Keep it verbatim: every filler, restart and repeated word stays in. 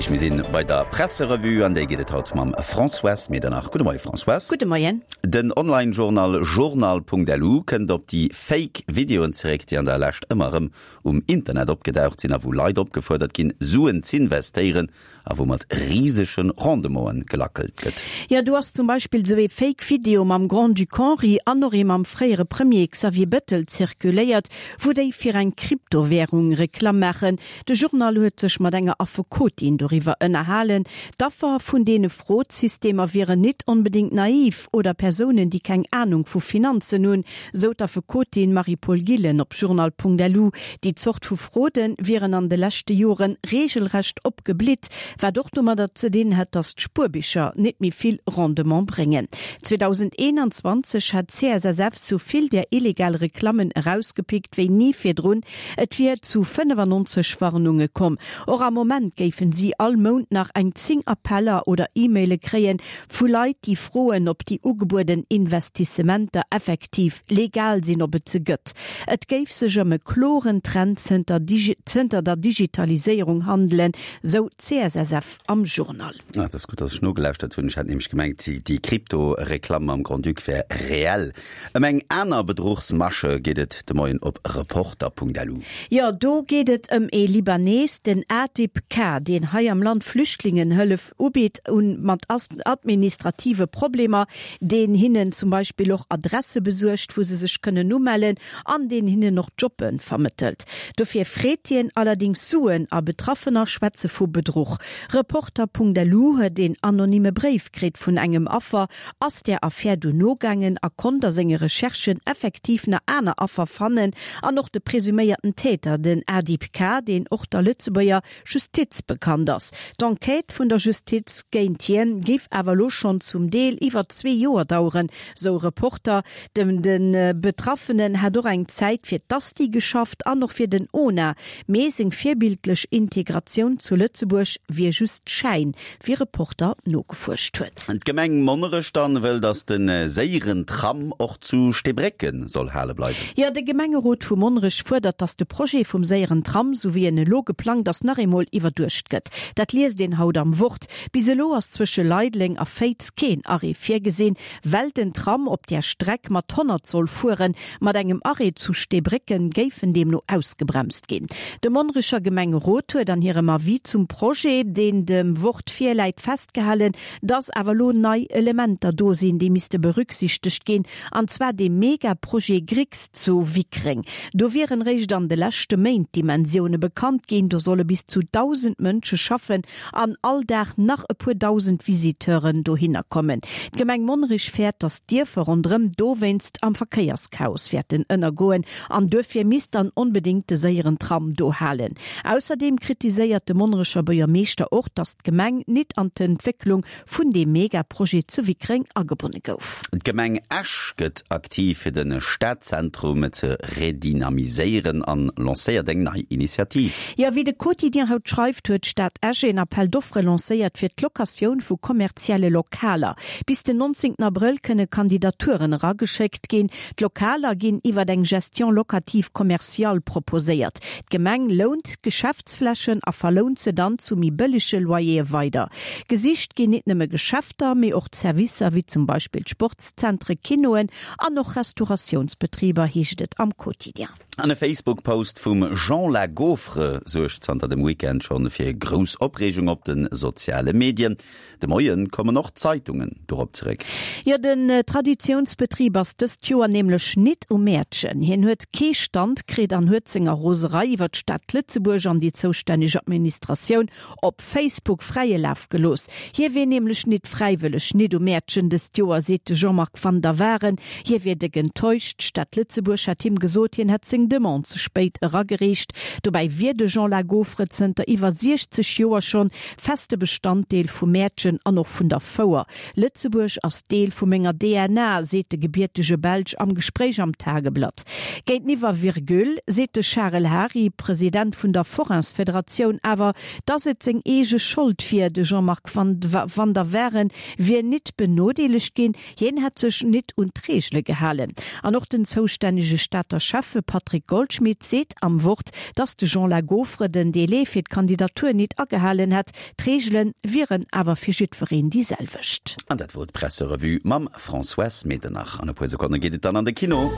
heescht, mir sinn bei der Presserevue, an déi geet et haut mam Françoise Medernach. Gudde Moie Françoise. Gudde Moien. Den Online-Journal Journal.lu kënnt op déi Fake Videoen zeréck, déi an der Lescht ëmmer erëm um Internet opgedaucht sinn a wou Leit opgefuerdert ginn, Suen z'investéieren a wou mat risege Rendementen gelackelt gëtt. Jo, do ass zum Beispill sou ee Fake Video mam Grand-Duc Henri an och ee mam fréiere Premier Xavier Bettel zirkuléiert, wou déi fir eng Kryptowärung Reklamm maachen. De Journal huet sech mat enger Affekotin doriwwer ënnerhalen. D'Affer vun deene Frod-Systemer wieren nit onbedéngt naiv oder Persounen, déi keng Anung vu Finanzen hunn, sou d'Affekotin Marie-Paule Gillen op journal.lu. Déi Zort vu Fraude wieren an de leschte Jore reegelrecht opgeblitt, wat och domadder ze dinn hätt, datt d'Spuerbicher nit méi vill Rendement bréngen. zweedausendeenanzwanzeg hat d'CSSF sou vill där illegal Reklammen erausgepickt wéi ni virdrun, et wier zu fënnefannonzeg Warnunge komm. Och am Moment géifen si all Mount nach eng zéng Appeller oder E-Maile kréien vu Leit, déi froen, ob déi ugebueden Investissementer effektiv legal sinn, ob et se gëtt. Et géif sech ëm e kloren Trend zënter zënter der Digitaliséierung handelen, sou d'CSSF am Journal. Ah, dat ass gutt, dass ech nogelauschtert hunn. Ech hat nämlech gemengt, déi Krypto-Reklamm mam Grand-Duc wär reell. Ëm eng aner Bedruchsmasche geet et de Moien op Reporter.lu. Jo, do geet et ëm ee Libanees, den Adib K., deen hei am Land Flüchtlingen Hëllef ubitt un mat administrative Problemer, deen hinnen zum Beispill och Adresse besuergt, wou se sech kënnen umellen, an deen hinnen och Jobbe vermëttelt. Dofir freet hien allerdéngs Suen a Betraffener schwätze vu Bedruch. Reporter.lu huet een anonyme Bréif kritt vun engem Affer, ass där Affär du nogaangen a konnt a senge Recherchen effektiv nach aner Affer fannen an och de presuméierten Täter, den Adib K. Deen och der Lëtzebuerger Justiz bekannt ass. D'Enquête vun der Justiz géint hien géif awer elo schonn zum Deel iwwer zwee Joer daueren, sou Reporter. De de Betraffenen hätt och eng Zäit fir d'Asti geschafft an och fir den ona, mee seng virbildlech Integratioun zu Lëtzebuerg wier just Schäin, wéi Reporter nogefuerscht huet. D'Gemeng Monnerech dann wëll, datt de séieren Tram och zu Steebrécken soll hale bleiwen. Jo, de Gemengerot vu Monnerech fuerdert, datt de Projet vum séieren Tram, sou wéi en elo geplangt ass, nach eemol iwwerduecht gëtt. Dat liest een haut am Wort. Bis elo ass zwësche Leideleng a Féiz keen Arrêt virgesinn, well den Tram op där Streck mat honnert soll fueren. Mat engem Arrêt zu Steebrécken géif en deemno ausgebremst ginn. De Monnerecher Gemengerot huet an hirem Avis zum Projet, deen dem Wort virläit, festgehalen, dass awer elo nei Elementer do sinn, déi misste berücksichtegt ginn, an zwar dee Mega-Projet Grix zu Wickreng. Do wieren réischt an de leschte Méint d'Dimensioune bekannt ginn. Do solle bis zu dausend Mënsche schaffen an all Dag nach e puer dausend Visiteuren dohinner kommen. D'Gemeng Monnerech fäert, dass d'Dierfer ronderëm dowéinst am Verkéierschaos wäerten ënnergoen an duerfir misst dann onbedéngt de séieren Tram do halen. Ausserdeem kritiséiert de Monnerecher Buergermeeschter och, dass d'Gemeng nit an d'Entwécklung vun deem Megaprojet zu Wickreng agebonne gouf. D'Gemeng Esch gëtt aktiv fir de Stadzentrum ze redynamiséieren an lancéiert eng nei Initiativ. Jo, wéi de Quotidien haut schreift, huet d'Stad Esch een Appel d'offres lancéiert fir d'Locatioun vu kommerzielle Lokaler. Bis den nonzéngten Abrëll kënne Kandidaturen erageschéckt ginn. D'Lokaler ginn iwwer eng Gestion locative commerciale proposéiert. D'Gemeng lount d'Geschäftsflächen a verlount se dann zu méi bëllege Loyere weider. Gesicht ginn nit nëmme Geschäfter, mee och Servicer wéi zum Beispill Sportszentre, Kinoen an och Restauratiounsbetriber, heescht et am Quotidien. An e Facebook-Post vum Jean La Gaufre suergt zanter dem Weekend schonn fir grouss Opreegung op de soziale Medien. De Moien kommen och d'Zeitungen dorop zeréck. Jo, den Traditiounsbetrib ass dëst Joer nämlech nit um Mäertchen. Hien huet kee Stand kritt an huet senger Roserei iwwer d'Stad Lëtzebuerg an déi zoustänneg Administratioun op Facebook fräie Laf gelooss. Hie wier nämlech nit fräiwëlleg nit um Mäertchen dëst Joer, seet de Jean-Marc Van der Waeren. Hie wier déck enttäuscht. D'Stad Lëtzebuerg hätt him gesot, hien hätt seng Demande ze spéit eragereecht. Dobäi wier de Jean Lagaufre zënter iwwer siechzeg Joer schonn feste Bestanddeel vum Mäertchen an och vun der Fouer. Lëtzebuerg ass Deel vu menger D N A, seet de gebiertege Belsch am Gespréich am Tageblatt. Géinteniwwer Virgule seet de Charel Hary, President vun der Forainsfederatioun, awer, dass et seng eege Schold wier. De Jean-Marc Van der Waeren wier nit benodeelegt ginn, hien hätt sech nit un d'Reegele gehalen. An och den zoustännege Stater Schäffe Patrick Goldschmidt seet am Wort, dass de Jean Lagaufre den Delai fir d'Kandidatur nit agehalen agehalen hätt. D'Reegele wieren awer fir jiddwereen déi selwecht. An dat wor d'Presserevue mam Françoise Medernach. An e puer Sekonne geet et dann an de Kino.